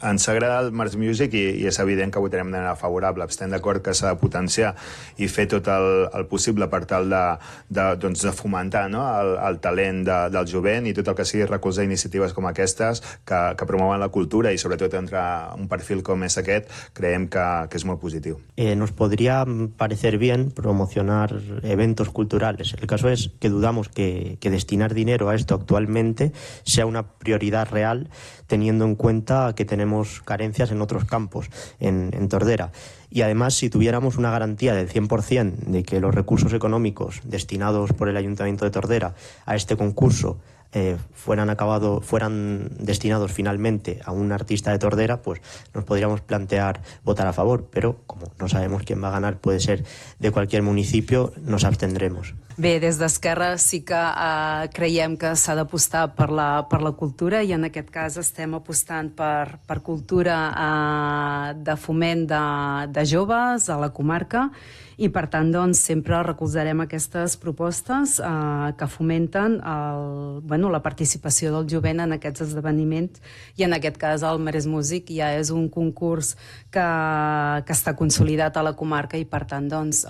Ens agrada el Mars Music i és evident que votarem de manera favorable. Estem d'acord que s'ha de potenciar i fer tot el possible per tal de fomentar, no, el talent del jovent i tot el que sigui recolzar iniciatives com aquestes que promouen la cultura i sobretot entre un perfil com és aquest, creiem que és molt positiu. Nos podría parecer bien promocionar eventos culturales. El caso es que dudamos que destinar dinero a esto actualmente sea una prioridad real, teniendo en cuenta que tenemos carencias en otros campos, en Tordera. Y además, si tuviéramos una garantía del 100% de que los recursos económicos destinados por el Ayuntamiento de Tordera a este concurso fueran destinados finalmente a un artista de Tordera, pues nos podríamos plantear votar a favor, pero como no sabemos quién va a ganar, puede ser de cualquier municipio, nos abstendremos. Bé, des d'Esquerra sí que creiem que s'ha d'apostar per la cultura i en aquest cas estem apostant per cultura de foment de joves a la comarca i per tant doncs, sempre recolzarem aquestes propostes que fomenten la participació del jovent en aquests esdeveniments i en aquest cas el Marès Music ja és un concurs que està consolidat a la comarca i per tant doncs,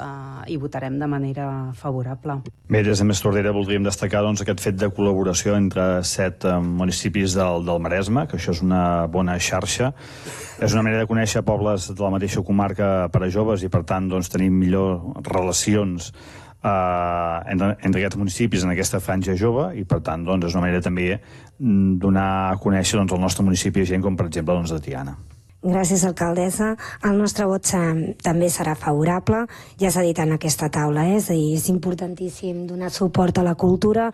hi votarem de manera favorable. Bé, des de Més Tordera voldríem destacar aquest fet de col·laboració entre 7 municipis del Maresme, que això és una bona xarxa. És una manera de conèixer pobles de la mateixa comarca per a joves i, per tant, tenir millor relacions entre aquests municipis en aquesta franja jove i, per tant, és una manera també donar a conèixer el nostre municipi a gent com, per exemple, de Tiana. Gràcies, alcaldessa. El nostre vot també serà favorable. Ja s'ha dit en aquesta taula, és a dir, és importantíssim donar suport a la cultura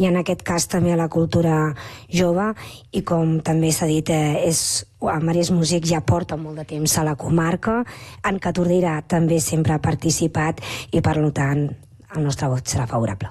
i en aquest cas també a la cultura jove i com també s'ha dit, el Marès Music ja porta molt de temps a la comarca, en què Tordera també sempre ha participat i per tant el nostre vot serà favorable.